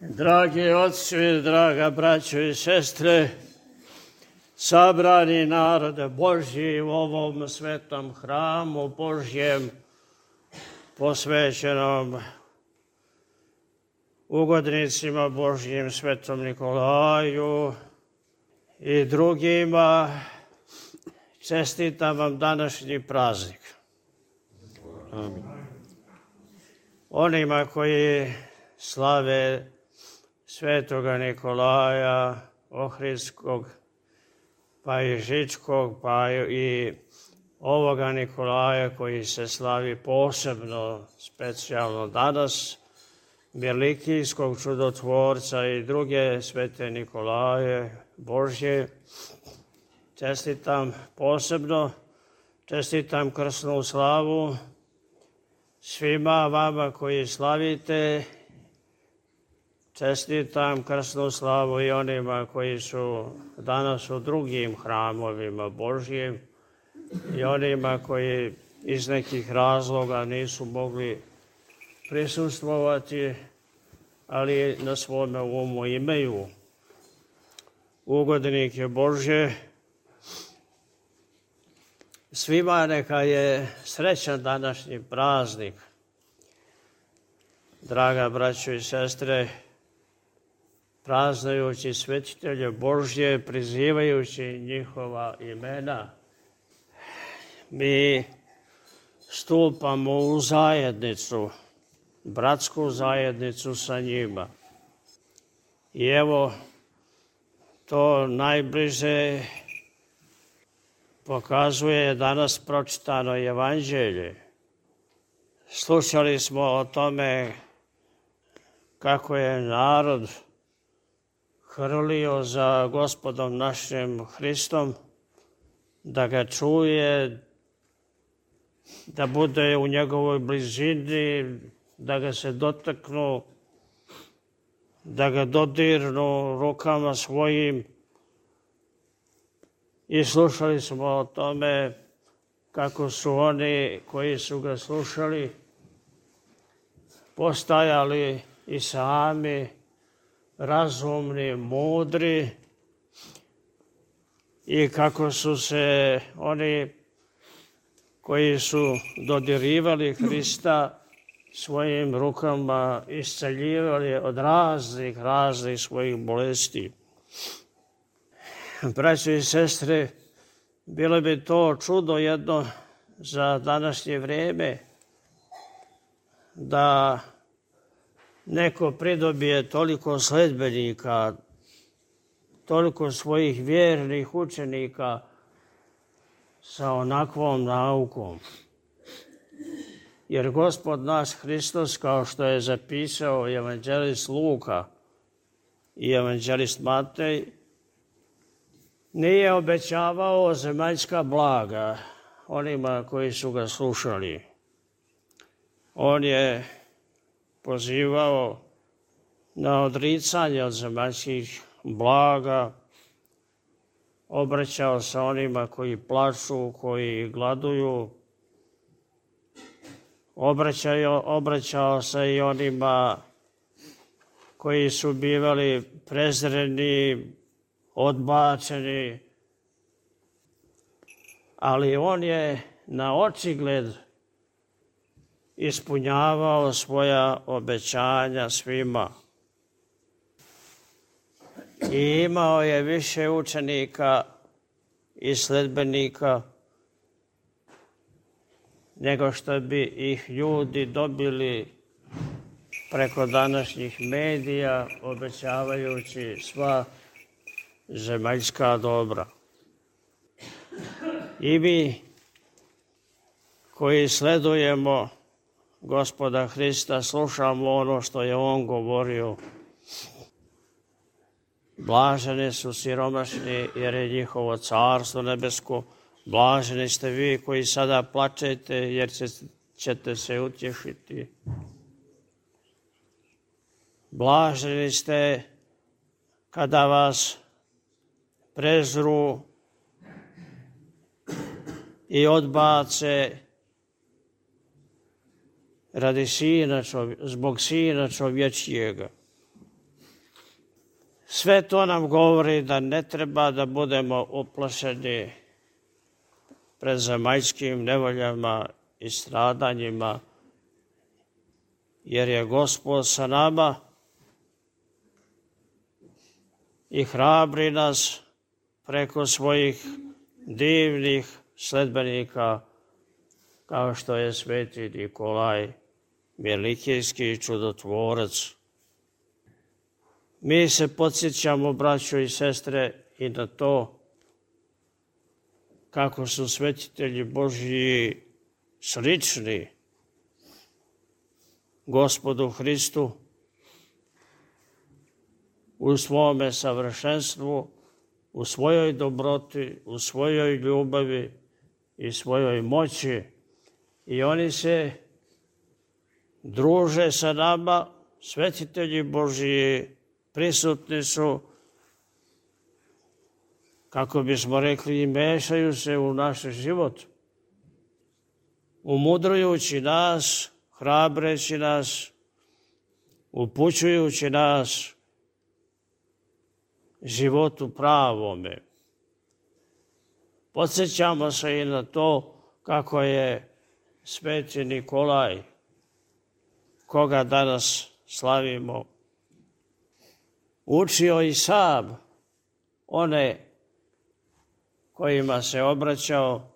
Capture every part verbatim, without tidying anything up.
Dragi otci, draga braćo i sestre, sabrani narode Božji u ovom svetom hramu Božjem, posvećenom ugodnicima Božjim, svetom Nikolaju i drugima, čestitam vam današnji praznik. Amin. Onima koji slave svetoga Nikolaja Ohridskog, pa i Žičkog, pa i ovoga Nikolaja koji se slavi posebno, specijalno danas, Velikijskog čudotvorca i druge svete Nikolaje Božje, čestitam posebno, čestitam krsnu slavu svima vama koji slavite. Čestitam krsnu slavu i onima koji su danas u drugim hramovima Božjim i onima koji iz nekih razloga nisu mogli prisustvovati, ali na svome umu imaju ugodnike Božje. Svima neka je srećan današnji praznik. Draga braćo i sestre, praznujući svetitelje Božje, prizivajući njihova imena, mi stupamo u zajednicu, bratsku zajednicu sa njima. I evo, to najbliže pokazuje danas pročitano evanđelje. Slušali smo o tome kako je narod hrlio za Gospodom našim Hristom, da ga čuje, da bude u njegovoj blizini, da ga se dotaknu, da ga dodirnu rukama svojim. I slušali smo o tome kako su oni koji su ga slušali postajali i sami razumni, mudri, i kako su se oni koji su dodirivali Hrista svojim rukama isceljivali od raznih, raznih svojih bolesti. Braćo i sestre, bilo bi to čudo jedno za današnje vrijeme da neko pridobije toliko sledbenika, toliko svojih vjernih učenika sa onakvom naukom. Jer Gospod naš Hristos, kao što je zapisao evanđelist Luka i evanđelist Matej, nije obećavao zemaljska blaga onima koji su ga slušali. On je pozivao na odricanje od zemaljskih blaga, obraćao se onima koji plaču, koji gladuju, obraćao, obraćao se i onima koji su bivali prezreni, odbačeni, ali on je na očigled ispunjavao svoja obećanja svima. I imao je više učenika i sledbenika nego što bi ih ljudi dobili preko današnjih medija, obećavajući sva zemaljska dobra. I mi koji sledujemo Gospoda Hrista, slušamo ono što je on govorio. Blaženi su siromašni, jer je njihovo carstvo nebesko. Blaženi ste vi koji sada plačete, jer ćete se utješiti. Blaženi ste kada vas prezru i odbace radi sina čovje, zbog sina čovječijega. Sve to nam govori da ne treba da budemo uplašeni pred zemaljskim nevoljama i stradanjima, jer je Gospod sa nama i hrabri nas preko svojih divnih sledbenika, kao što je sveti Nikolaj, Milikijski čudotvorac. Mi se podsjećamo, braćo i sestre, i na to kako su svetitelji Božji slični Gospodu Hristu u svome savršenstvu, u svojoj dobroti, u svojoj ljubavi i svojoj moći. I oni se druže sa nama, svetitelji Božji, prisutni su, kako bismo rekli, i mešaju se u naš život, umudrujući nas, hrabreći nas, upućujući nas životu pravome. Podsjećamo se i na to kako je sveti Nikolaj, koga danas slavimo, učio i sam one kojima se obraćao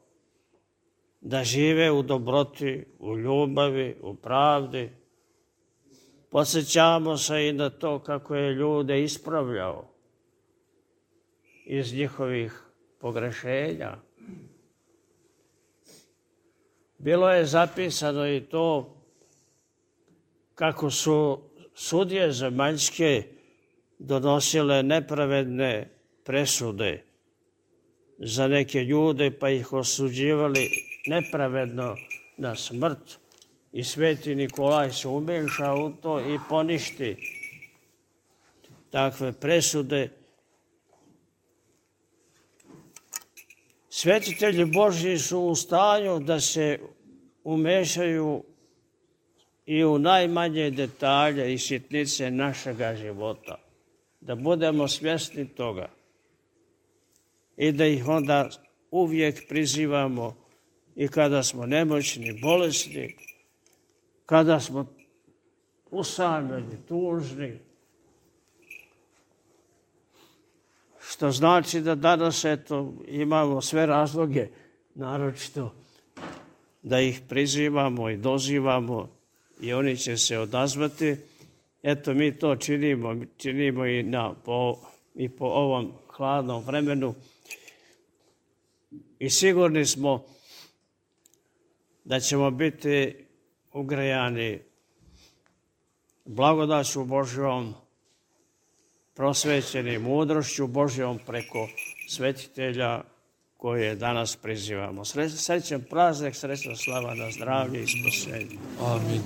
da žive u dobroti, u ljubavi, u pravdi. Podsjećamo se i na to kako je ljude ispravljao iz njihovih pogrešenja. Bilo je zapisano i to kako su sudije zemaljske donosile nepravedne presude za neke ljude, pa ih osuđivali nepravedno na smrt. I sveti Nikolaj se umeša u to i poništi takve presude. Svetitelji Božji su u stanju da se umešaju i u najmanje detalje i sitnice našega života, da budemo svjesni toga i da ih onda uvijek prizivamo i kada smo nemoćni, bolesni, kada smo usamljeni, tužni. Što znači da danas eto, imamo sve razloge, naročito da ih prizivamo i dozivamo i oni će se odazvati. Eto, mi to činimo, činimo i, na, po, i po ovom hladnom vremenu. I sigurni smo da ćemo biti ugrejani blagodaću Božjom, prosvećeni mudrošću Božjom preko svetitelja koje danas prizivamo. Srećan praznik, srećna slava na zdravlje i spasenje. Amin.